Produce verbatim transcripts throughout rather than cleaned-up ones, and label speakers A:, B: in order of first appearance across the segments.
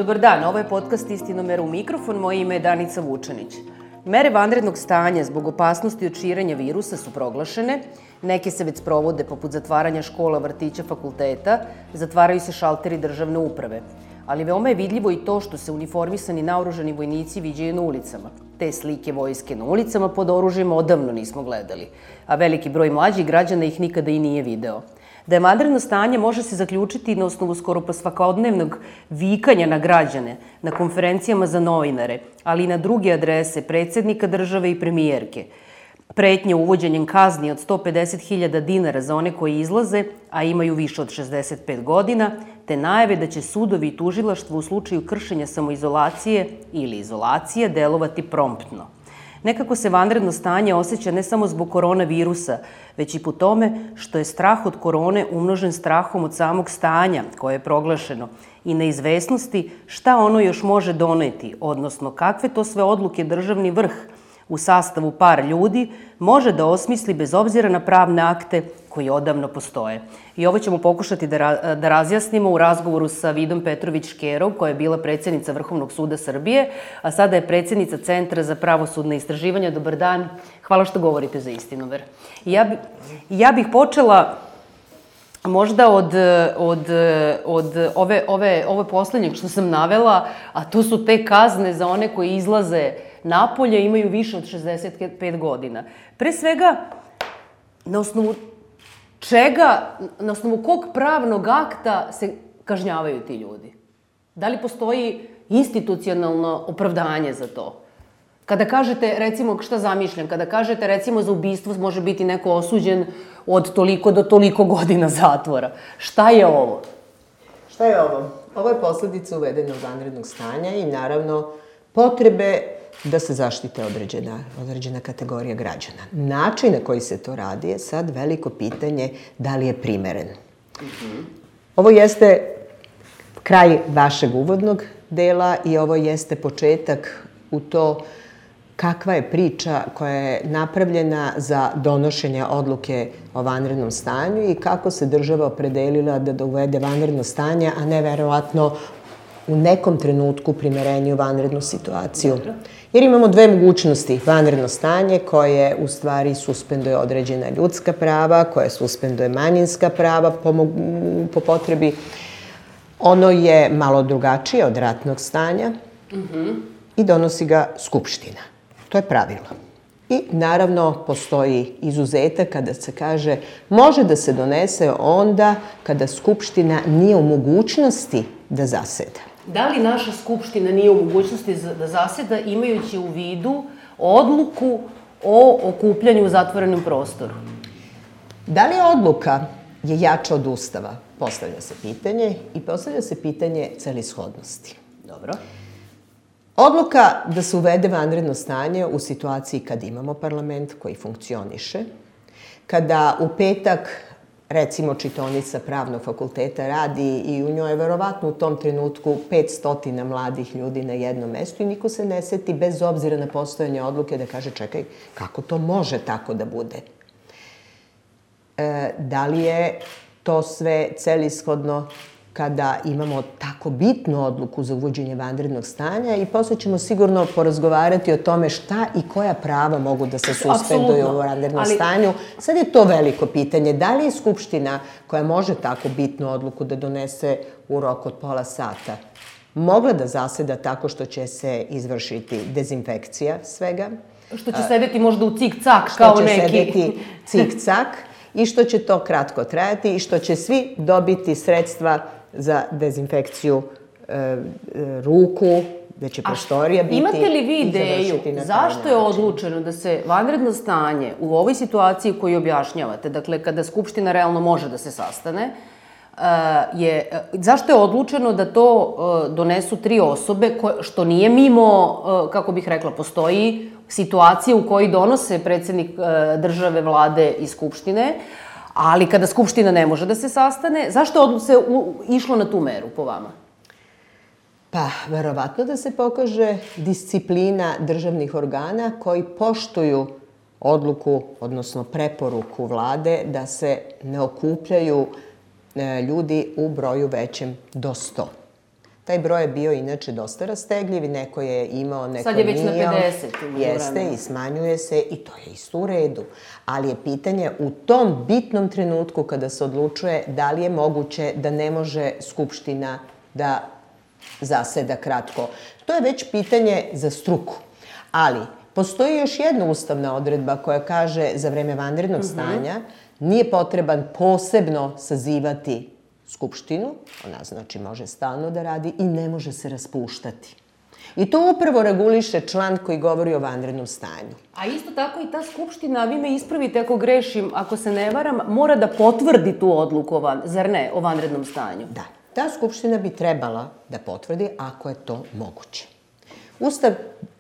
A: Dobar dan, ovo je podcast Istinomer u mikrofon, moje ime je Danica Vučanić. Mere vanrednog stanja zbog opasnosti od širenja virusa su proglašene, neke se već sprovode poput zatvaranja škola, vrtića, fakulteta, zatvaraju se šalteri državne uprave. Ali veoma je vidljivo i to što se uniformisani naoružani vojnici viđaju na ulicama. Te slike vojske na ulicama pod oružjem odavno nismo gledali, a veliki broj mlađih građana ih nikada i nije video. Da je vanredno stanje može se zaključiti na osnovu skoro pa svakodnevnog vikanja na građane, na konferencijama za novinare, ali i na druge adrese predsednika države i premijerke. Pretnje uvođenjem kazni od sto pedeset hiljada dinara za one koji izlaze, a imaju više od šezdeset pet godina, te najave da će sudovi i tužilaštvo u slučaju kršenja samoizolacije ili izolacije delovati promptno. Nekako se vanredno stanje osjeća ne samo zbog koronavirusa, već i po tome što je strah od korone umnožen strahom od samog stanja koje je proglašeno i neizvesnosti šta ono još može doneti, odnosno kakve to sve odluke državni vrh u sastavu par ljudi može da osmisli bez obzira na pravne akte koji odavno postoje. I ovo ćemo pokušati da, ra da razjasnimo u razgovoru sa Vidom Petrović-Škerov, koja je bila predsjednica Vrhovnog suda Srbije, a sada je predsjednica Centra za pravosudne istraživanja. Dobar dan, hvala što govorite za Istinomer. Ja, bi, ja bih počela možda od, od, od ove, ove, ove poslednjeg što sam navela, a to su te kazne za one koji izlaze napolje, imaju više od šezdeset pet godina. Pre svega, na osnovu čega, na osnovu kog pravnog akta se kažnjavaju ti ljudi? Da li postoji institucionalno opravdanje za to? Kada kažete, recimo, šta zamišljam, kada kažete, recimo, za ubistvo može biti neko osuđen od toliko do toliko godina zatvora. Šta je ovo?
B: Šta je ovo? Ovo je posledica uvedenog vanrednog stanja i, naravno, potrebe da se zaštite određena, određena kategorija građana. Način na koji se to radi je sad veliko pitanje da li je primeren. Mm-hmm. Ovo jeste kraj vašeg uvodnog dela i ovo jeste početak u to kakva je priča koja je napravljena za donošenje odluke o vanrednom stanju i kako se država opredelila da uvede vanredno stanje, a ne verovatno u nekom trenutku primerenju vanrednu situaciju. Jer imamo dve mogućnosti. Vanredno stanje koje u stvari suspenduje određena ljudska prava, koje suspenduje manjinska prava po, po potrebi. Ono je malo drugačije od ratnog stanja mm-hmm. i donosi ga Skupština. To je pravilo. I naravno postoji izuzetak kada se kaže može da se donese onda kada Skupština nije u mogućnosti da zaseda.
A: Da li naša Skupština nije u mogućnosti da zaseda imajući u vidu odluku o okupljanju u zatvorenom prostoru?
B: Da li odluka je jača od Ustava? Postavlja se pitanje i postavlja se pitanje celishodnosti.
A: Dobro.
B: Odluka da se uvede vanredno stanje u situaciji kad imamo parlament koji funkcioniše, kada u petak recimo čitaonica Pravnog fakulteta radi i u njoj je verovatno u tom trenutku petsto mladih ljudi na jednom mestu i niko se ne seti bez obzira na postojanje odluke da kaže čekaj, kako to može tako da bude? E, da li je to sve celishodno kada imamo tako bitnu odluku za uvođenje vanrednog stanja i posle ćemo sigurno porazgovarati o tome šta i koja prava mogu da se suspenduju u vanrednom ali... stanju. Sad je to veliko pitanje. Da li je Skupština koja može tako bitnu odluku da donese u roku od pola sata mogla da zaseda tako što će se izvršiti dezinfekcija svega?
A: Što će sedeti možda u cik-cak kao neki.
B: Što će sedeti cik-cak i što će to kratko trajati i što će svi dobiti sredstva za dezinfekciju e, ruku, da će prostorija biti...
A: Imate li vi ideju zašto je odlučeno da se vanredno stanje u ovoj situaciji koju objašnjavate, dakle kada Skupština realno može da se sastane, je, zašto je odlučeno da to donesu tri osobe, što nije mimo, kako bih rekla, postoji situacija u kojoj donose predsjednik države, vlade i Skupštine, ali kada Skupština ne može da se sastane, zašto se išlo na tu meru po vama?
B: Pa, verovatno da se pokaže disciplina državnih organa koji poštuju odluku, odnosno preporuku vlade da se ne okupljaju ljudi u broju većem do sto. Taj broj je bio inače dosta rastegljiv i neko je imao, neko
A: Sad je već na
B: nije.
A: pedeset.
B: Jeste i smanjuje se i to je isto u redu. Ali je pitanje u tom bitnom trenutku kada se odlučuje da li je moguće da ne može Skupština da zaseda kratko. To je već pitanje za struku. Ali postoji još jedna ustavna odredba koja kaže za vreme vanrednog stanja nije potreban posebno sazivati Skupštinu, ona znači može stalno da radi i ne može se raspuštati. I to upravo reguliše član koji govori o vanrednom stanju.
A: A isto tako i ta Skupština, vi me ispravite ako grešim, ako se ne varam, mora da potvrdi tu odluku, zar ne, o vanrednom stanju?
B: Da, ta Skupština bi trebala da potvrdi ako je to moguće. Ustav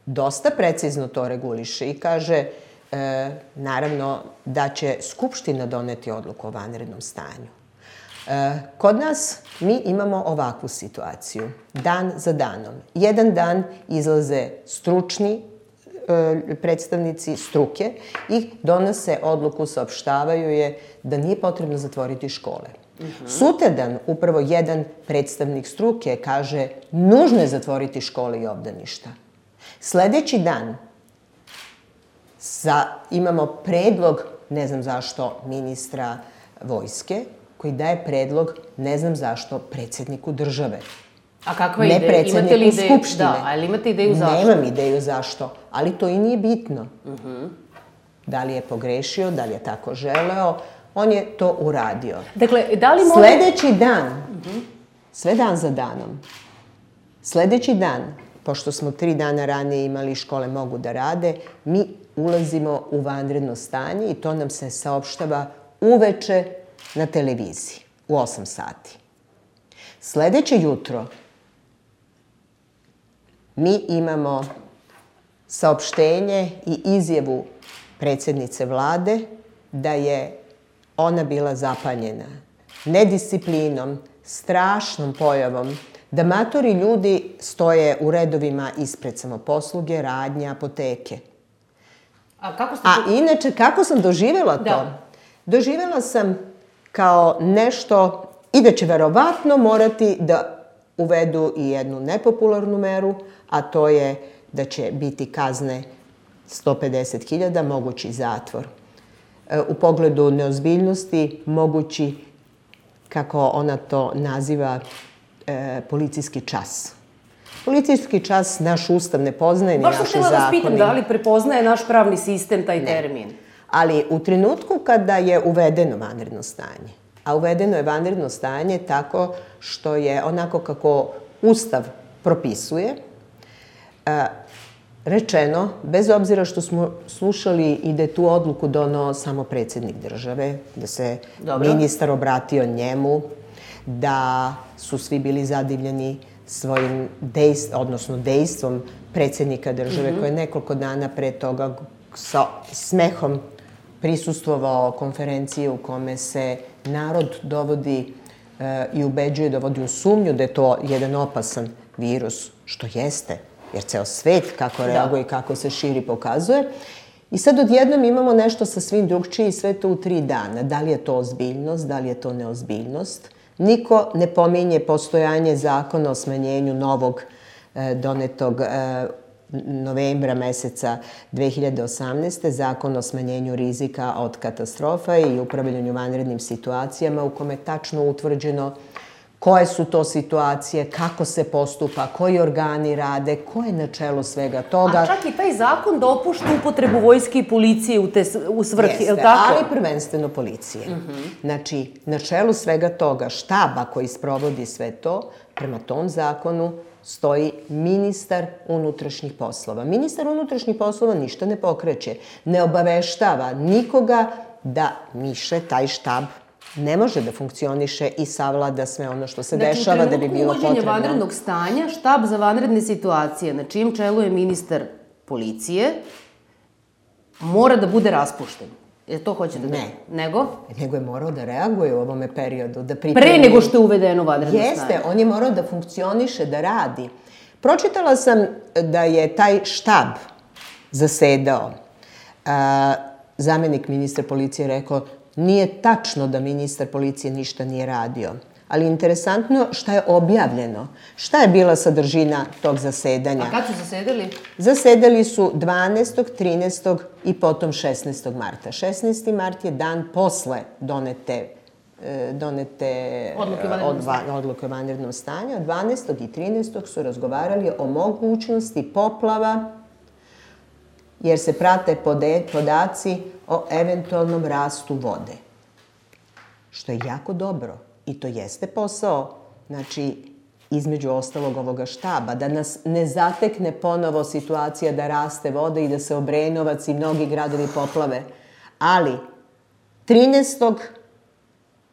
B: dosta precizno to reguliše i kaže, e, naravno, da će Skupština doneti odluku o vanrednom stanju. E, kod nas mi imamo ovakvu situaciju, dan za danom. Jedan dan izlaze stručni e, predstavnici struke i donose odluku, saopštavaju je da nije potrebno zatvoriti škole. Uh-huh. Sutradan upravo jedan predstavnik struke kaže nužno je zatvoriti škole i obdaništa. Sledeći dan za, imamo predlog, ne znam zašto, ministra vojske, koji daje predlog, ne znam zašto, predsjedniku države.
A: A kakva ideja?
B: Ne predsjedniku
A: imate li
B: Skupštine.
A: Da, ali imate ideju zašto?
B: Nemam ideju zašto, ali to i nije bitno. Uh-huh. Da li je pogrešio, da li je tako želeo, on je to uradio.
A: Dakle, da li može...
B: Sledeći dan, uh-huh. sve dan za danom, sledeći dan, pošto smo tri dana ranije imali škole mogu da rade, mi ulazimo u vanredno stanje i to nam se saopštava uveče na televiziji u osam sati. Sledeće jutro mi imamo saopštenje i izjavu predsjednice vlade da je ona bila zapanjena nedisciplinom, strašnom pojavom, da matori ljudi stoje u redovima ispred samoposluge, radnje, apoteke.
A: A kako ste...
B: A inače, kako sam doživjela to?
A: Da.
B: Doživjela sam kao nešto i da će verovatno morati da uvedu i jednu nepopularnu meru, a to je da će biti kazne sto pedeset hiljada, mogući zatvor. U pogledu neozbiljnosti, mogući, kako ona to naziva, e, policijski čas. Policijski čas naš ustav ne poznaje, ni naše zakone.
A: Baš sam htjela vas pitam, da li prepoznaje naš pravni sistem taj termin?
B: Ali u trenutku kada je uvedeno vanredno stanje, a uvedeno je vanredno stanje tako što je onako kako Ustav propisuje, rečeno, bez obzira što smo slušali i da je tu odluku donao samo predsjednik države, da se ministar obratio njemu, da su svi bili zadivljeni svojim dejstvom, odnosno dejstvom predsjednika države, koji je nekoliko dana pre toga sa smehom prisustvovao konferenciji u kome se narod dovodi e, i ubeđuje, dovodi u sumnju da je to jedan opasan virus, što jeste, jer ceo svet kako reaguje i kako se širi pokazuje. I sad odjednom imamo nešto sa svim drugčije i sve to u tri dana. Da li je to ozbiljnost, da li je to neozbiljnost? Niko ne pominje postojanje zakona o smanjenju novog e, donetog e, novembra meseca dve hiljade osamnaeste. Zakon o smanjenju rizika od katastrofa i upravljanju vanrednim situacijama u kome je tačno utvrđeno koje su to situacije, kako se postupa, koji organi rade, ko je na čelu svega toga.
A: A čak i taj zakon dopušta upotrebu vojske i policije u, te, u svrhi, je li tako?
B: Ali prvenstveno policije. Uh-huh. Znači, na čelu svega toga, štaba koji sprovodi sve to, prema tom zakonu stoji ministar unutrašnjih poslova. Ministar unutrašnjih poslova ništa ne pokreće, ne obaveštava nikoga da miše taj štab ne može da funkcioniše i savlada sve ono što se znači, dešava da bi bilo potrebno.
A: Znači, u trenutku uvođenja vanrednog stanja, štab za vanredne situacije, na čijem čelu je ministar policije, mora da bude raspušten. Je to hoćete da...
B: Ne.
A: Nego?
B: Nego je morao da reaguje u ovome periodu, da pripremi...
A: Pre nego što je uvedeno vanredno stanje.
B: Jeste, on je morao da funkcioniše, da radi. Pročitala sam da je taj štab zasedao. A, zamenik ministra policije rekao, nije tačno da ministar policije ništa nije radio. ali interesantno šta je objavljeno. Šta je bila sadržina tog zasedanja?
A: A kad su zasedali?
B: Zasedali su dvanaestog, trinaestog i potom šesnaestog marta. šesnaesti mart je dan posle donete donete odluke o vanrednom stanju, a dvanaestog i trinaestog su razgovarali o mogućnosti poplava, jer se prate podaci o eventualnom rastu vode. Što je jako dobro i to jeste posao, znači, između ostalog ovoga štaba, da nas ne zatekne ponovo situacija da raste voda i da se Obrenovac i mnogi gradovi poplave. Ali, trinaestog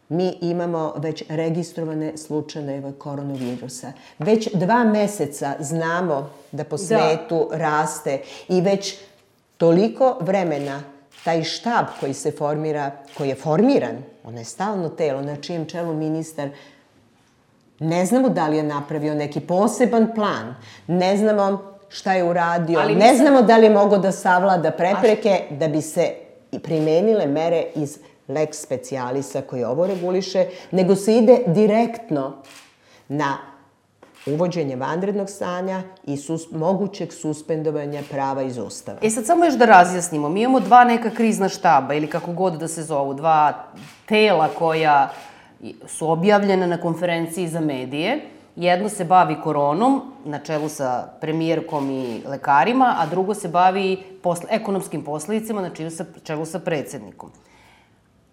B: mi imamo već registrovane slučajeve koronavirusa. Već dva meseca znamo da po svetu raste i već toliko vremena taj štab koji se formira, koji je formiran, ono je stalno telo na čijem čelu ministar, ne znamo da li je napravio neki poseban plan, ne znamo šta je uradio, ne znamo da li je mogao da savlada prepreke da bi se primenile mere iz lex specialisa koji ovo reguliše, nego se ide direktno na uvođenje vanrednog stanja i mogućeg suspendovanja prava iz Ustava.
A: E sad samo još da razjasnimo, mi imamo dva neka krizna štaba ili kako god da se zovu, dva tela koja su objavljena na konferenciji za medije. Jedno se bavi koronom, na čelu sa premijerkom i lekarima, a drugo se bavi ekonomskim posledicama, na čelu sa predsednikom.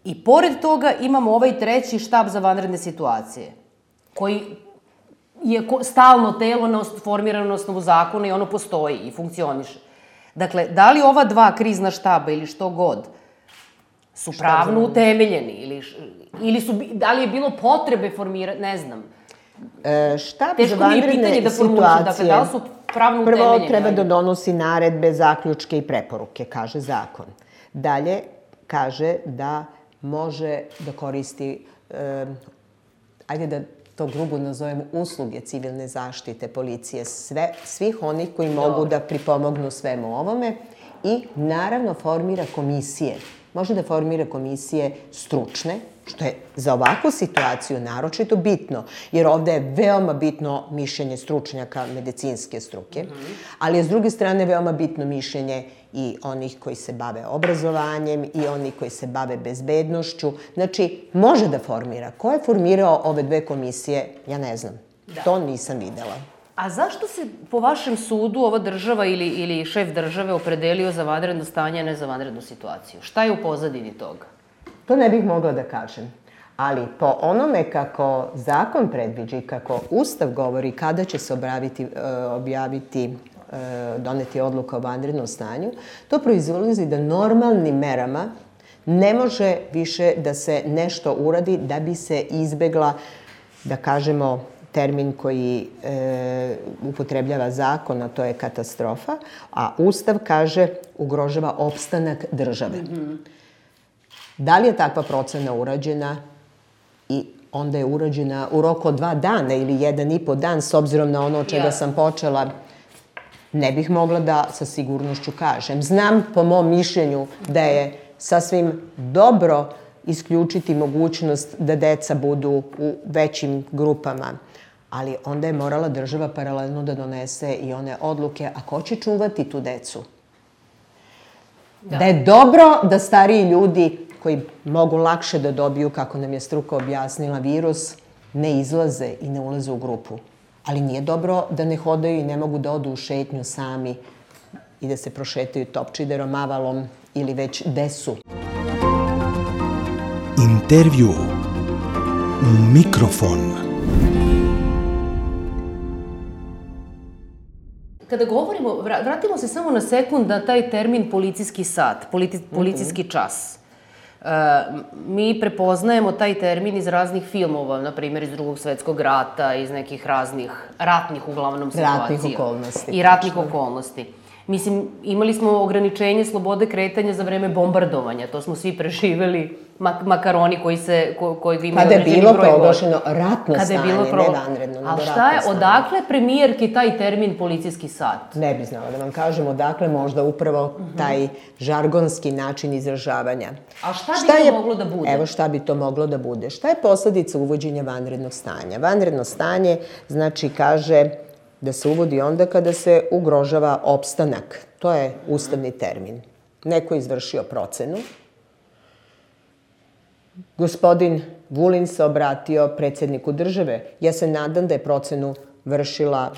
A: I pored toga imamo ovaj treći štab za vanredne situacije, koji je stalno telo formirano na osnovu zakona i ono postoji i funkcioniše. Dakle, da li ova dva krizna štaba ili što god su pravno utemeljeni ili da li je bilo potrebe formirati, ne znam. Teško mi je pitanje da formulišem, dakle, da li su pravno utemeljeni?
B: Prvo treba da donosi naredbe, zaključke i preporuke, kaže zakon. Dalje, kaže da može da koristi, ajde da to grubo nazovemo, usluge civilne zaštite, policije, svih onih koji mogu da pripomognu svemu ovome i naravno formira komisije. Može da formira komisije stručne, što je za ovakvu situaciju naročito bitno, jer ovde je veoma bitno mišljenje stručnjaka medicinske struke, ali je s druge strane veoma bitno mišljenje i onih koji se bave obrazovanjem i onih koji se bave bezbednošću. Znači, može da formira. Ko je formirao ove dve komisije, ja ne znam. To nisam videla.
A: A zašto se, po vašem sudu, ova država ili šef države opredelio za vanredno stanje, a ne za vanrednu situaciju? Šta je u pozadini toga?
B: To ne bih mogla da kažem. Ali po onome kako zakon predviđa i kako Ustav govori kada će se objaviti, doneti odluka o vanrednom stanju, to proizlazi da normalnim merama ne može više da se nešto uradi da bi se izbegla, da kažemo, termin koji upotrebljava zakon, a to je katastrofa, a Ustav kaže ugrožava opstanak države. Da li je takva procena urađena i onda je urađena u roku od dva dana ili jedan i po dan, s obzirom na ono od čega sam počela, ne bih mogla da sa sigurnošću kažem. Znam po mom mišljenju da je sasvim dobro isključiti mogućnost da deca budu u većim grupama, ali onda je morala država paralelno da donese i one odluke, a ko će čuvati tu decu? Da je dobro da stariji ljudi koji mogu lakše da dobiju, kako nam je struka objasnila, virus, ne izlaze i ne ulaze u grupu. Ali nije dobro da ne hodaju i ne mogu da odu u šetnju sami i da se prošetaju Topčiderom, Avalom ili već gde su.
C: Intervju Mikrofon.
A: Kada govorimo, vratimo se samo na sekund na taj termin policijski sat, policijski čas. Mi prepoznajemo taj termin iz raznih filmova, na primjer iz Drugog svetskog rata, iz nekih raznih ratnih, uglavnom, situacija.
B: Ratnih okolnosti.
A: I ratnih okolnosti. Mislim, imali smo ograničenje slobode kretanja za vreme bombardovanja, to smo svi preživeli, makaroni koji se, koji imaju određeni broj godina.
B: Kada je bilo proglašeno ratno stanje, ne vanredno, nego ratno stanje.
A: Ali šta je, odakle premijerki taj termin policijski sat?
B: Ne bi znala da vam kažem, odakle možda upravo taj žargonski način izražavanja.
A: A šta bi to moglo da bude?
B: Evo šta bi to moglo da bude. Šta je posledica uvođenja vanrednog stanja? Vanredno stanje, znači, kaže da se uvodi onda kada se ugrožava opstanak. To je ustavni termin. Neko je izvršio procenu. Gospodin Vulin se obratio predsjedniku države. Ja se nadam da je procenu vršila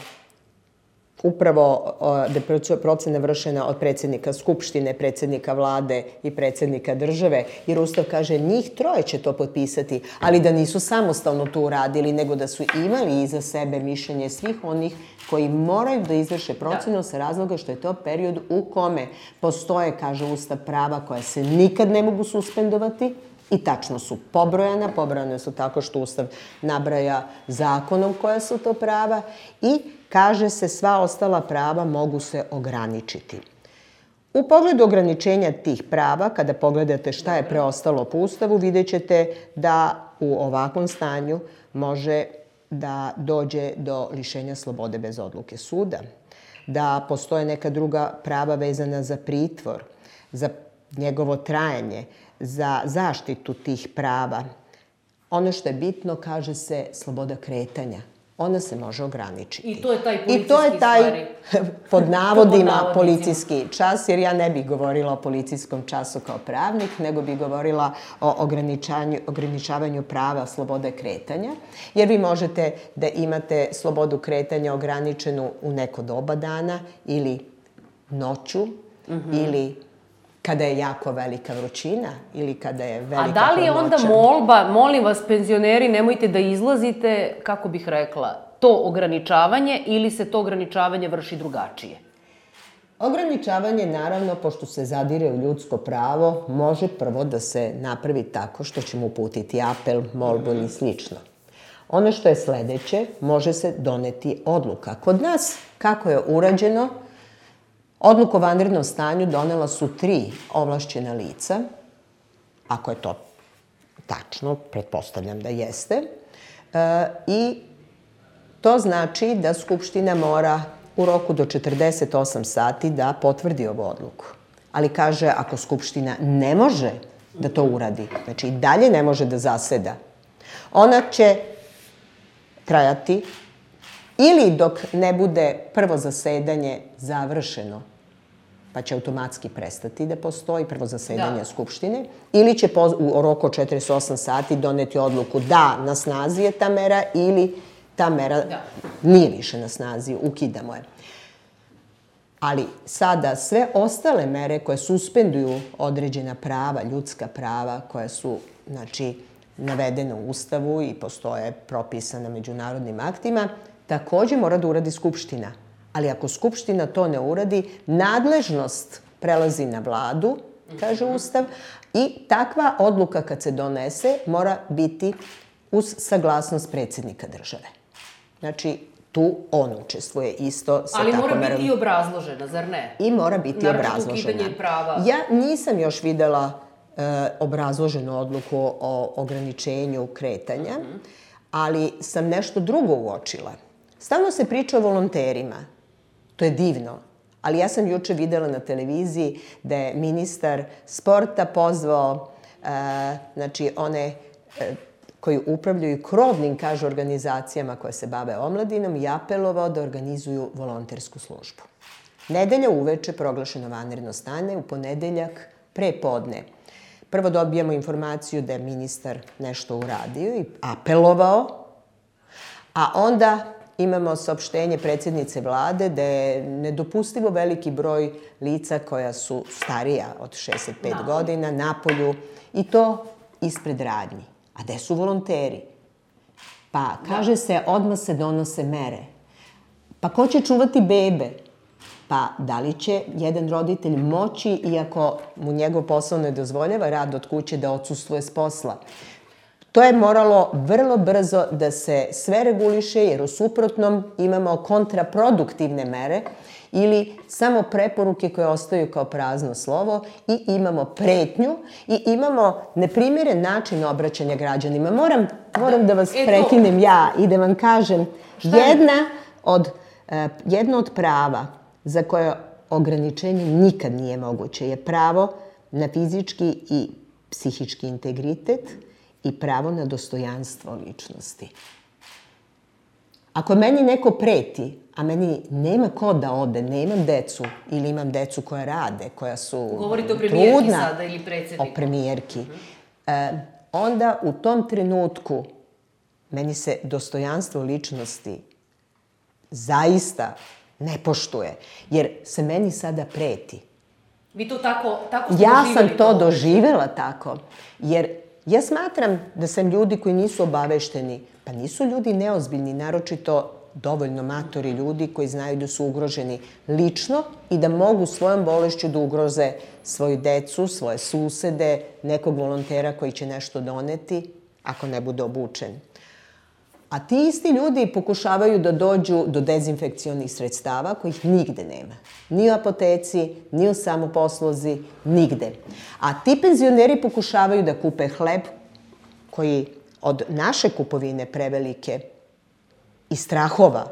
B: upravo, da je procena vršena od predsjednika Skupštine, predsjednika vlade i predsjednika države, jer Ustav kaže njih troje će to potpisati, ali da nisu samostalno to uradili, nego da su imali iza sebe mišljenje svih onih koji moraju da izvrše procenu sa razloga što je to period u kome postoje, kaže Ustav, prava koja se nikad ne mogu suspendovati i tačno su pobrojana. Pobrojane su tako što Ustav nabraja zakonom koja su to prava i kaže se sva ostala prava mogu se ograničiti. U pogledu ograničenja tih prava, kada pogledate šta je preostalo po Ustavu, vidjet ćete da u ovakvom stanju može da dođe do lišenja slobode bez odluke suda, da postoje neka druga prava vezana za pritvor, za njegovo trajanje, za zaštitu tih prava. Ono što je bitno, kaže se, sloboda kretanja. Ona se može ograničiti.
A: I to je taj policijski
B: I to je taj,
A: stvari.
B: pod navodima, policijski čas, jer ja ne bih govorila o policijskom času kao pravnik, nego bih govorila o ograničavanju prava slobode kretanja, jer vi možete da imate slobodu kretanja ograničenu u neko doba dana ili noću, ili kada je jako velika vrućina ili kada je velika hladnoća.
A: A da li je onda molba, molim vas penzioneri, nemojte da izlazite, kako bih rekla, to ograničavanje ili se to ograničavanje vrši drugačije?
B: Ograničavanje, naravno, pošto se zadire u ljudsko pravo, može prvo da se napravi tako što ćemo uputiti apel, molbu i slično. Ono što je sledeće, može se doneti odluka. Kod nas, kako je urađeno, odluku o vanrednom stanju donela su tri ovlašćena lica, ako je to tačno, pretpostavljam da jeste, i to znači da Skupština mora u roku do četrdeset osam sati da potvrdi ovu odluku. Ali kaže, ako Skupština ne može da to uradi, znači i dalje ne može da zaseda, ona će trajati ili dok ne bude prvo zasedanje završeno, pa će automatski prestati da postoji prvo zasedanje Skupštine, ili će u roku od četrdeset osam sati doneti odluku da na snazi je ta mera ili ta mera nije više na snazi, ukidamo je. Ali sada sve ostale mere koje suspenduju određena prava, ljudska prava, koja su, znači, navedene u Ustavu i postoje propisane međunarodnim aktima, takođe mora da uradi Skupština. Ali ako Skupština to ne uradi, nadležnost prelazi na vladu, kaže Ustav, i takva odluka kad se donese mora biti uz saglasnost predsjednika države. Znači, tu on učestvuje isto sa
A: ali
B: tako
A: mora biti i obrazložena, zar ne?
B: I mora biti obrazložena.
A: Naravno, ukidanje prava.
B: Ja nisam još videla obrazloženu odluku o ograničenju kretanja, ali sam nešto drugo uočila. Stalno se priča o volonterima. To je divno. Ali ja sam juče videla na televiziji da je ministar sporta pozvao, znači, one koji upravljaju krovnim, kaže, organizacijama koje se bave omladinom i apelovao da organizuju volontersku službu. Nedelja uveče proglašeno vanredno stanje, u ponedeljak pre podne. Prvo dobijamo informaciju da je ministar nešto uradio i apelovao, a onda imamo saopštenje predsjednice vlade da je nedopustivo veliki broj lica koja su starija od šezdeset pet godina napolju i to ispred radnji. A gde su volonteri? Pa, kaže se, odmah se donose mere. Pa ko će čuvati bebe? Pa, da li će jedan roditelj moći, iako mu njegov posao ne dozvoljava rad od kuće, da odsustvuje s posla? To je moralo vrlo brzo da se sve reguliše, jer u suprotnom imamo kontraproduktivne mere ili samo preporuke koje ostaju kao prazno slovo i imamo pretnju i imamo neprimjeren način obraćanja građanima. Moram, moram da vas prekinem ja i da vam kažem, jedna od, jedno od prava za koje ograničenje nikad nije moguće je pravo na fizički i psihički integritet i pravo na dostojanstvo ličnosti. Ako meni neko preti, a meni nema ko da ode, nemam decu ili imam decu koja rade, koja su trudna...
A: Govorite o premijerki sada ili predsjedniku?
B: O premijerki. Onda u tom trenutku meni se dostojanstvo ličnosti zaista ne poštuje, jer se meni sada preti.
A: Vi to tako, tako ste
B: ja
A: doživjeli?
B: sam to doživjela tako, jer ja smatram da sam ljudi koji nisu obavešteni, pa nisu ljudi neozbiljni, naročito dovoljno matori ljudi koji znaju da su ugroženi lično i da mogu svojom bolešću da ugroze svoju decu, svoje susede, nekog volontera koji će nešto doneti, ako ne bude obučen. A ti isti ljudi pokušavaju da dođu do dezinfekcionih sredstava kojih nigde nema. Ni u apoteci, ni u samoposluzi, nigde. A ti penzioneri pokušavaju da kupe hleb koji od naše kupovine prevelike i strahova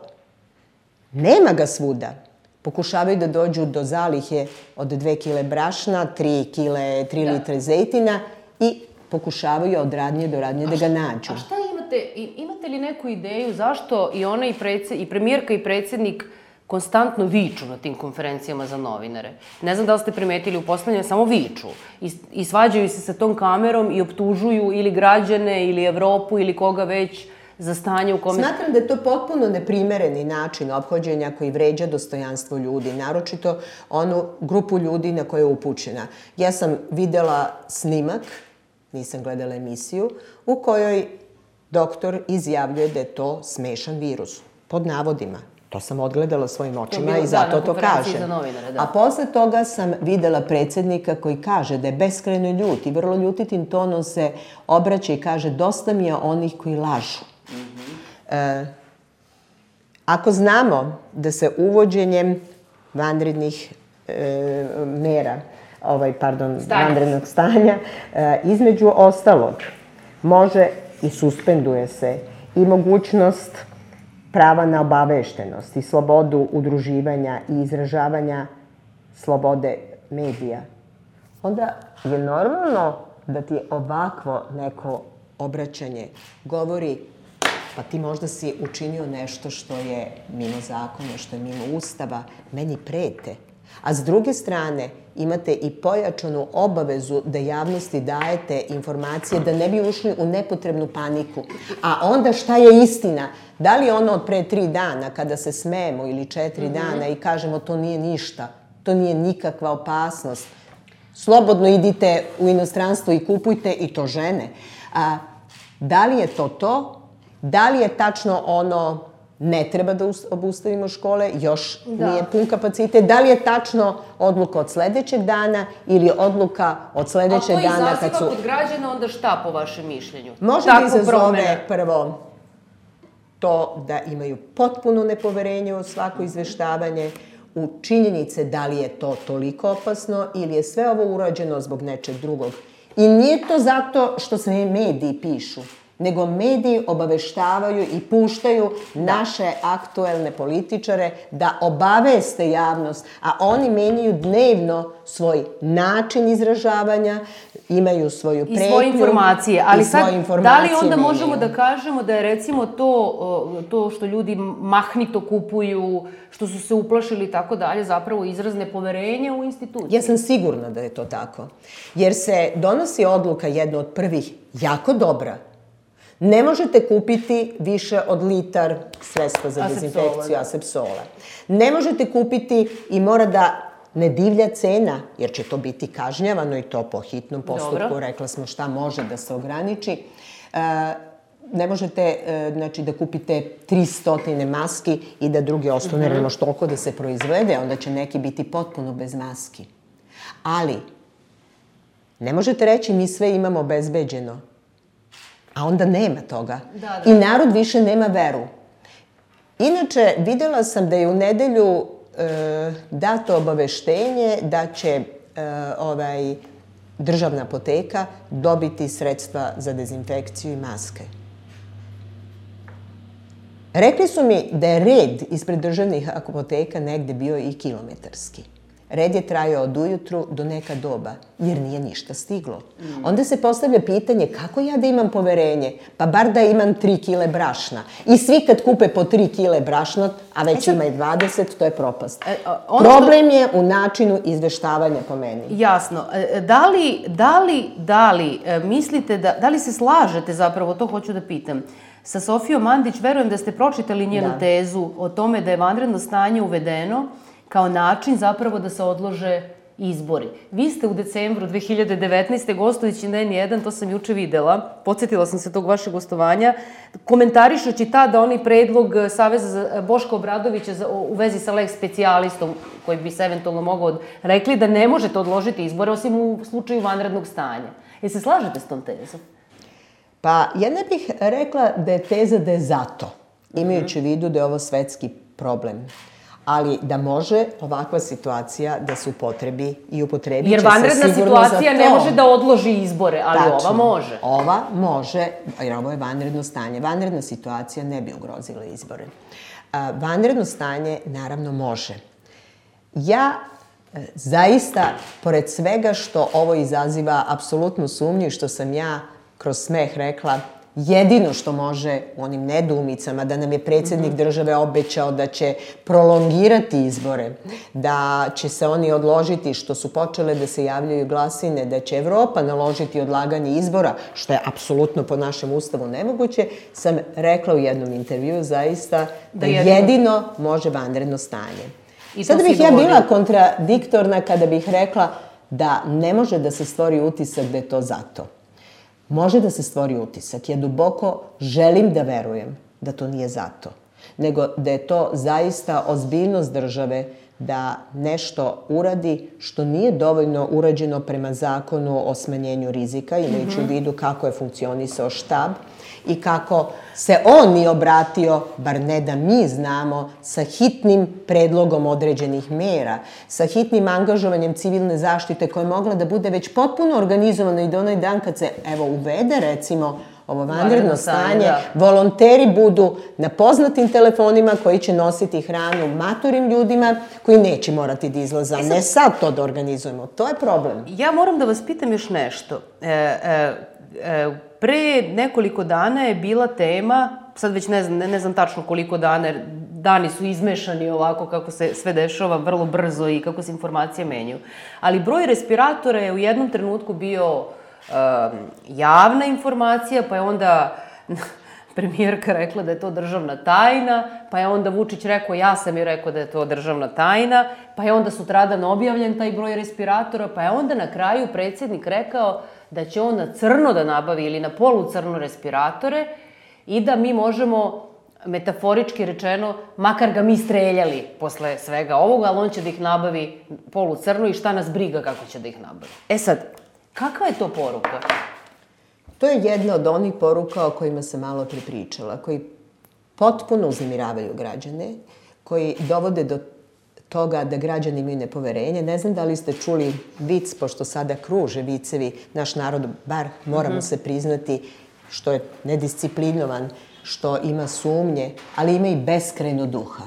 B: nema ga svuda. Pokušavaju da dođu do zalihe od dve kile brašna, tri kile, tri litre zejtina i pokušavaju od radnje do radnje da ga nađu.
A: A šta imate, imate li neku ideju zašto i ona i, i premijerka i predsjednik konstantno viču na tim konferencijama za novinare? Ne znam da li ste primetili, u poslednje samo viču i, i svađaju se sa tom kamerom i optužuju ili građane ili Evropu ili koga već za stanje u kome...
B: Smatram da je to potpuno neprimereni način ophođenja koji vređa dostojanstvo ljudi, naročito onu grupu ljudi na koje je upućena. Ja sam videla snimak, nisam gledala emisiju, u kojoj doktor izjavljuje da je to smešan virus, pod navodima. To sam odgledala svojim očima i zato to kažem. A posle toga sam videla predsjednika koji kaže da je beskrajno ljut i vrlo ljutitim tonom se obraća i kaže dosta mi je onih koji lažu. Ako znamo da se uvođenjem vanrednih mera, ovaj, pardon, vanrednog stanja, između ostalog, može i suspenduje se i mogućnost prava na obaveštenost i slobodu udruživanja i izražavanja slobode medija, onda je normalno da ti ovakvo neko obraćanje govori pa ti možda si učinio nešto što je mimo zakona, što je mimo ustava, meni prete. A s druge strane, imate i pojačanu obavezu da javnosti dajete informacije da ne bi ušli u nepotrebnu paniku. A onda šta je istina? Da li ono od pre tri dana kada se smemo ili četiri dana i kažemo to nije ništa, to nije nikakva opasnost, slobodno idite u inostranstvo i kupujte i to žene. A, da li je to to? Da li je tačno ono ne treba da obustavimo škole, još nije pun kapacitet? Da li je tačno odluka od sledećeg dana ili odluka od sledećeg dana kad su...
A: A to izaziva kod građana onda šta po vašem mišljenju?
B: Može da izazove prvo to da imaju potpuno nepoverenje u svako izveštavanje, u činjenice da li je to toliko opasno ili je sve ovo urađeno zbog nečeg drugog. I nije to zato što se mediji pišu, nego mediji obaveštavaju i puštaju naše aktuelne političare da obaveste javnost, a oni menjaju dnevno svoj način izražavanja, imaju svoju pretnju.
A: I svoje informacije. Ali sad, da li onda možemo da kažemo da je recimo to, to što ljudi mahnito kupuju, što su se uplašili i tako dalje, zapravo izraz nepoverenja u instituciji?
B: Ja sam sigurna da je to tako. Jer se donosi odluka jedna od prvih jako dobra. Ne možete kupiti više od litar sredstva za dezinfekciju asepsola. Ne možete kupiti i mora da ne divlja cena, jer će to biti kažnjavano i to po hitnom postupku. Rekla smo šta može da se ograniči. Ne možete da kupite tristo maski i da drugi ostane, ne može toliko da se proizvede, onda će neki biti potpuno bez maski. Ali, ne možete reći mi sve imamo obezbeđeno. A onda nema toga. I narod više nema veru. Inače, videla sam da je u nedelju dato obaveštenje da će ovaj, državna apoteka dobiti sredstva za dezinfekciju i maske. Rekli su mi da je red ispred državnih apoteka negde bio i kilometarski. Red je trajao od ujutru do neka doba, jer nije ništa stiglo. Onda se postavlja pitanje kako ja da imam poverenje? Pa bar da imam tri kile brašna. I svi kad kupe po tri kile brašna, a već ima i dvadeset, to je propast. Problem je u načinu izveštavanja po meni.
A: Jasno. Da li, da li, da li mislite da, da li se slažete zapravo, to hoću da pitam, sa Sofijom Mandić, verujem da ste pročitali njenu tezu o tome da je vanredno stanje uvedeno kao način zapravo da se odlože izbori. Vi ste u decembru dve hiljade devetnaeste. gostujući na N jedan, to sam juče videla, podsjetila sam se tog vašeg gostovanja, komentarišući tada onaj predlog Saveza Boška Obradovića u vezi sa lex specijalistom, koji bi se eventualno mogao rekli da ne možete odložiti izbore osim u slučaju vanrednog stanja. Jel se slažete s tom tezom?
B: Pa ja ne bih rekla da je teza da je zato, imajući u vidu da je ovo svetski problem. Ali da može ovakva situacija da se upotrebi i upotrebi će se sigurno za to.
A: Jer vanredna situacija ne može da odloži izbore, ali ova može.
B: Ova može, jer ovo je vanredno stanje. Vanredna situacija ne bi ugrozila izbore. Vanredno stanje naravno može. Ja zaista, pored svega što ovo izaziva apsolutnu sumnju i što sam ja kroz smeh rekla, jedino što može u onim nedoumicama, da nam je predsjednik države obećao da će prolongirati izbore, da će se oni odložiti, što su počele da se javljaju glasine, da će Evropa naložiti odlaganje izbora, što je apsolutno po našem ustavu nemoguće, sam rekla u jednom intervjuu zaista da jedino može vanredno stanje. Sada bih ja bila kontradiktorna kada bih rekla da ne može da se stvori utisak da je to zato. Može da se stvori utisak. Ja duboko želim da verujem da to nije zato, nego da je to zaista ozbiljnost države da nešto uradi što nije dovoljno urađeno prema zakonu o smanjenju rizika, imajući u vidu kako je funkcionisao štab i kako se on nije obratio, bar ne da mi znamo, sa hitnim predlogom određenih mera, sa hitnim angažovanjem civilne zaštite koja je mogla da bude već potpuno organizovana i da onaj dan kad se, evo, uvede, recimo, ovo vanredno stanje, volonteri budu na poznatim telefonima koji će nositi hranu maturim ljudima koji neće morati da izlaza. Ne sad to da organizujemo. To je problem.
A: Ja moram da vas pitam još nešto. Pre nekoliko dana je bila tema, sad već ne znam, ne znam tačno koliko dana, jer dani su izmešani ovako kako se sve dešava vrlo brzo i kako se informacije menjaju. Ali broj respiratora je u jednom trenutku bio javna informacija, pa je onda premijerka rekla da je to državna tajna, pa je onda Vučić rekao, ja sam joj rekao da je to državna tajna, pa je onda sutradan objavljen taj broj respiratora, pa je onda na kraju predsjednik rekao da će on na crno da nabavi ili na polu crno respiratore i da mi možemo, metaforički rečeno, makar ga mi streljali posle svega ovoga, ali on će da ih nabavi polu crno i šta nas briga kako će da ih nabavi. E sad, kakva je to poruka?
B: To je jedna od onih poruka o kojima sam malo prepričala, koji potpuno uznemiravaju građane, koji dovode do toga da građani imaju nepoverenje. Ne znam da li ste čuli vic, pošto sada kruže vicevi, naš narod, bar moramo se priznati, što je nedisciplinovan, što ima sumnje, ali ima i beskrajno duha.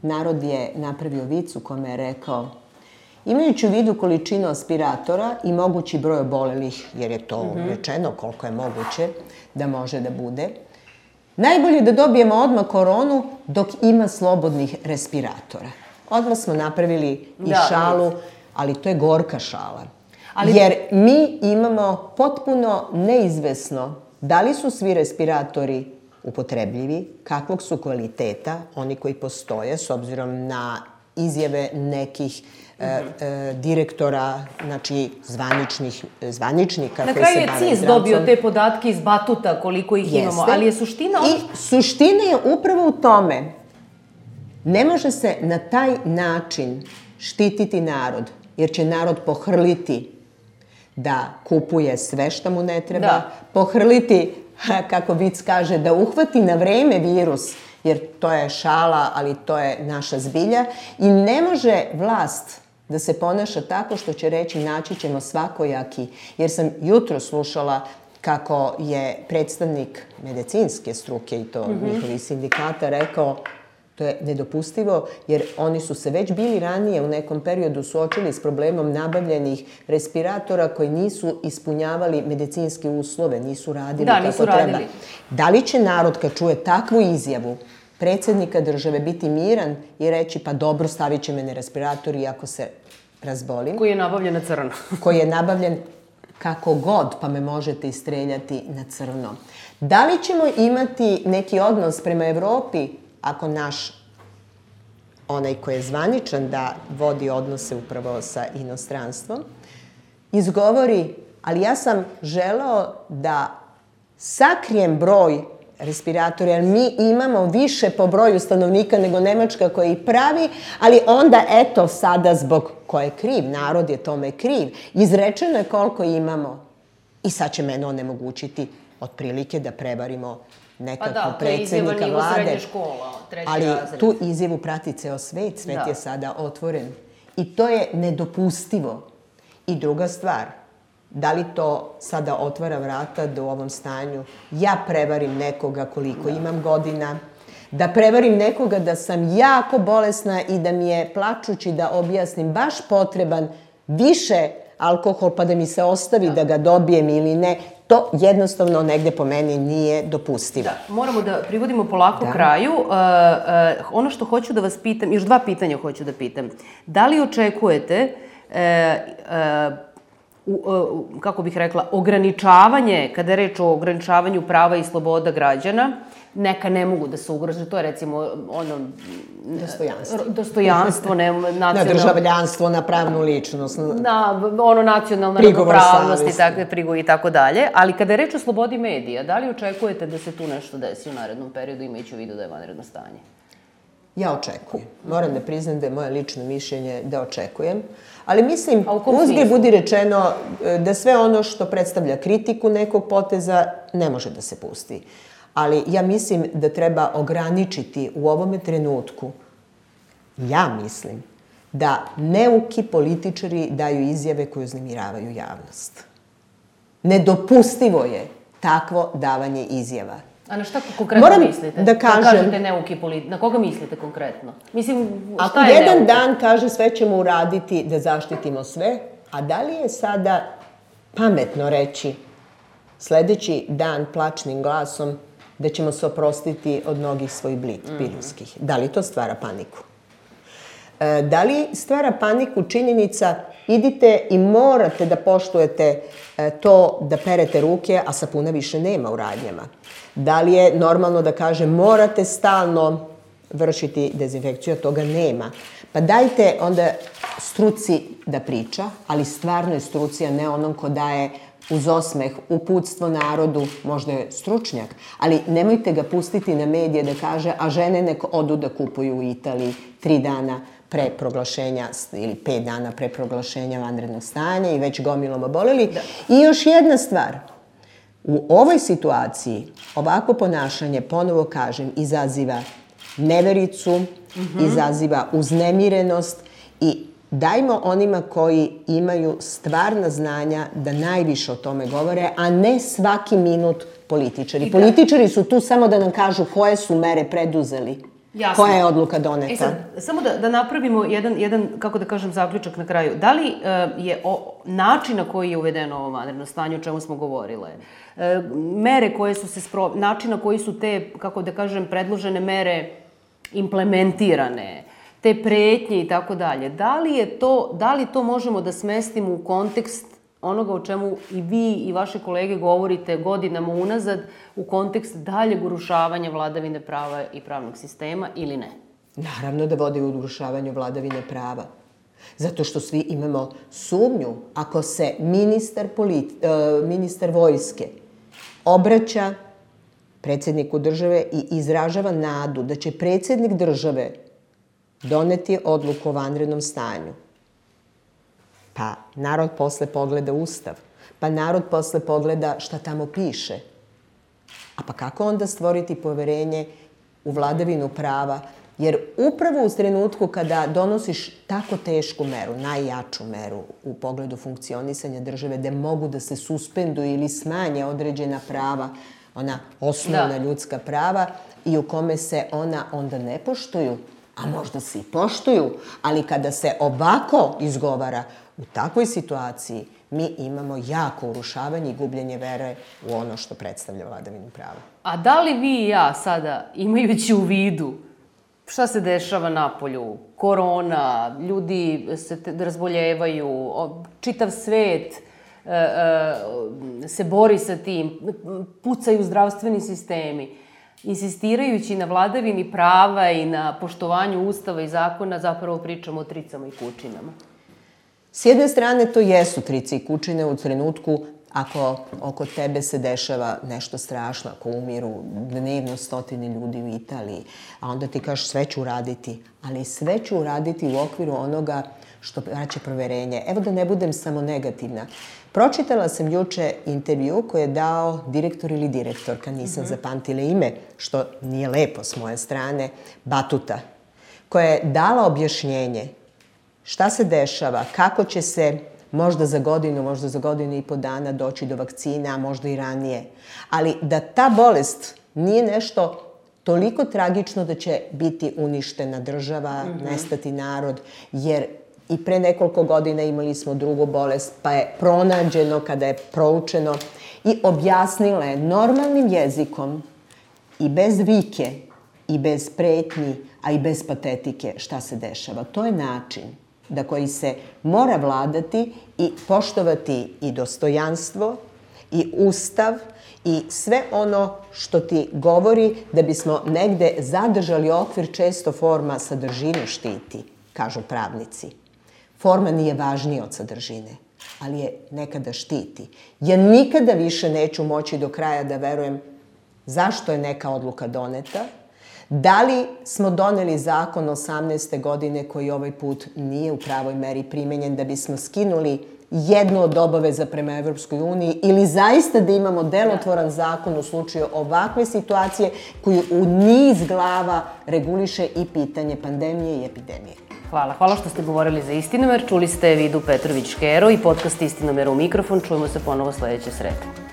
B: Narod je napravio vic u kome je rekao: imajući u vidu količinu aspiratora i mogući broj obolelih, jer je to rečeno koliko je moguće da može da bude, najbolje da dobijemo odmah koronu dok ima slobodnih respiratora. Odmah smo napravili i šalu, ali to je gorka šala. Jer mi imamo potpuno neizvesno da li su svi respiratori upotrebljivi, kakvog su kvaliteta, oni koji postoje, s obzirom na izjave nekih direktora, znači zvaničnika koji se bave zdravstvom.
A: Na kraju je C I S dobio te podatke iz Batuta koliko ih imamo, ali je suština...
B: I suština je upravo u tome. Ne može se na taj način štititi narod, jer će narod pohrliti da kupuje sve što mu ne treba, pohrliti, kako vic kaže, da uhvati na vreme virus, jer to je šala, ali to je naša zbilja. I ne može vlast da se ponaša tako što će reći naći ćemo svakojaki. Jer sam jutro slušala kako je predstavnik medicinske struke i to mm-hmm. njihovih sindikata rekao to je nedopustivo jer oni su se već bili ranije u nekom periodu suočili s problemom nabavljenih respiratora koji nisu ispunjavali medicinske uslove, nisu radili
A: da,
B: kako
A: nisu
B: treba.
A: Radili.
B: Da li će narod kad čuje takvu izjavu predsjednika države biti miran i reći pa dobro stavit će me na respirator iako se razbolim?
A: Koji je nabavljen na crno.
B: Koji je nabavljen kako god, pa me možete istreljati na crno. Da li ćemo imati neki odnos prema Evropi ako naš, onaj koji je zvaničan da vodi odnose upravo sa inostranstvom, izgovori, ali ja sam želeo da sakrijem broj respiratora, jer mi imamo više po broju stanovnika nego Nemačka koja ih pravi, ali onda eto sada zbog ko je kriv, narod je tome kriv. Izrečeno je koliko imamo i sad će mene onemogućiti otprilike da prevarimo nekako predsjednika vlade.
A: Škola,
B: ali
A: razred.
B: Tu izjavu prati ceo svet, svet da. Je sada otvoren. I to je nedopustivo. I druga stvar, da li to sada otvara vrata da u ovom stanju ja prevarim nekoga koliko da. Imam godina, da prevarim nekoga da sam jako bolesna i da mi je plačući da objasnim baš potreban više alkohol pa da mi se ostavi da, da ga dobijem ili ne, to jednostavno negde po meni nije dopustivo.
A: Da, moramo da privodimo polako da. Kraju. Uh, uh, ono što hoću da vas pitam, još dva pitanja hoću da pitam. Da li očekujete uh, uh, U, uh, kako bih rekla, ograničavanje, kada je reč o ograničavanju prava i sloboda građana, neka ne mogu da se ugrože, to je recimo ono...
B: Dostojanstvo.
A: Dostojanstvo, ne, nacionalno...
B: Na državljanstvo, na pravnu ličnost.
A: Na ono nacionalna ravnopravnost i takve prigovore i tako dalje. Ali kada je reč o slobodi medija, da li očekujete da se tu nešto desi u narednom periodu, imajući u vidu da je vanredno stanje?
B: Ja očekujem. Moram da priznam da je moje lično mišljenje da očekujem. Ali mislim, uzgred budi rečeno da sve ono što predstavlja kritiku nekog poteza ne može da se pusti. Ali ja mislim da treba ograničiti u ovome trenutku, ja mislim, da neuki političari daju izjave koje uznemiravaju javnost. Nedopustivo je takvo davanje izjava.
A: A na šta konkretno
B: Moram
A: mislite?
B: Da kažem...
A: kažete neuki politi... Na koga mislite konkretno? Mislim, šta
B: Ako
A: je
B: jedan
A: neuki?
B: dan kaže sve ćemo uraditi da zaštitimo sve, a da li je sada pametno reći sledeći dan plačnim glasom da ćemo se oprostiti od mnogih svojih bliskih? Mm. Da li to stvara paniku? E, da li stvara paniku činjenica idite i morate da poštujete e, to da perete ruke, a sapuna više nema u radnjama? Da li je normalno da kaže morate stalno vršiti dezinfekciju, a toga nema? Pa dajte onda struci da priča, ali stvarno je struci, a ne onom ko daje uz osmeh uputstvo narodu, možda je stručnjak, ali nemojte ga pustiti na medije da kaže, a žene nek odu da kupuju u Italiji tri dana pre proglašenja ili pet dana pre proglašenja vanrednog stanja i već gomilom oboleli. Da. I još jedna stvar. U ovoj situaciji ovako ponašanje, ponovo kažem, izaziva nevericu, mm-hmm. izaziva uznemirenost i dajmo onima koji imaju stvarna znanja da najviše o tome govore, a ne svaki minut političari. Da. Političari su tu samo da nam kažu koje su mere preduzeli. Jasno. Koja je odluka doneta?
A: E sad, samo da, da napravimo jedan, jedan, kako da kažem, zaključak na kraju. Da li uh, je o, način na koji je uvedeno ovo vanredno stanje, o čemu smo govorile, uh, mere koje su se spro... način na koji su te, kako da kažem, predložene mere implementirane, te pretnje i tako dalje, da li je to, da li to možemo da smestimo u kontekst onoga o čemu i vi i vaše kolege govorite godinama unazad, u kontekst daljeg urušavanja vladavine prava i pravnog sistema ili ne?
B: Naravno da vodi u urušavanju vladavine prava. Zato što svi imamo sumnju ako se ministar, politi, uh, ministar vojske obraća predsjedniku države i izražava nadu da će predsjednik države doneti odluku o vanrednom stanju. Pa narod posle pogleda Ustav. Pa narod posle pogleda šta tamo piše. A pa kako onda stvoriti poverenje u vladavinu prava, jer upravo u trenutku kada donosiš tako tešku meru, najjaču meru u pogledu funkcionisanja države, gde mogu da se suspenduju ili smanje određena prava, ona osnovna ljudska prava, i u kome se ona onda ne poštuju, a možda se i poštuju, ali kada se ovako izgovara, u takvoj situaciji mi imamo jako urušavanje i gubljenje vere u ono što predstavlja vladavinu prava.
A: A da li vi i ja sada, imajući u vidu šta se dešava napolju, korona, ljudi se razboljevaju, čitav svet se bori sa tim, pucaju zdravstveni sistemi, insistirajući na vladavini prava i na poštovanju ustava i zakona, zapravo pričamo o tricama i kučinama?
B: S jedne strane, to jesu trice i kučine u trenutku ako oko tebe se dešava nešto strašno, ako umiru dnevno stotine ljudi u Italiji, a onda ti kažeš sve ću uraditi, ali sve ću uraditi u okviru onoga što vraća proverenje. Evo da ne budem samo negativna. Pročitala sam juče intervju koji je dao direktor ili direktorka, nisam zapamtila ime, što nije lepo s moje strane, Batuta, koja je dala objašnjenje šta se dešava, kako će se možda za godinu, možda za godinu i po dana doći do vakcina, a možda i ranije. Ali da ta bolest nije nešto toliko tragično da će biti uništena država, nestati narod, jer i pre nekoliko godina imali smo drugu bolest, pa je pronađeno kada je proučeno i objasnila je normalnim jezikom i bez vike i bez pretnji, a i bez patetike šta se dešava. To je način da koji se mora vladati i poštovati i dostojanstvo i ustav i sve ono što ti govori da bismo negde zadržali okvir, često forma sadržinu štiti, kažu pravnici. Forma nije važnija od sadržine, ali je nekada štiti. Ja nikada više neću moći do kraja da verujem zašto je neka odluka doneta, da li smo doneli zakon osamnaeste godine koji ovaj put nije u pravoj meri primenjen da bismo skinuli jednu od obaveza prema Evropskoj uniji ili zaista da imamo delotvoran zakon u slučaju ovakve situacije koju u niz glava reguliše i pitanje pandemije i epidemije.
A: Hvala. Hvala što ste govorili za Istinomer. Čuli ste Vidu Petrović-Škero i podcast Istinomer u mikrofon. Čujemo se ponovo sledeće srede.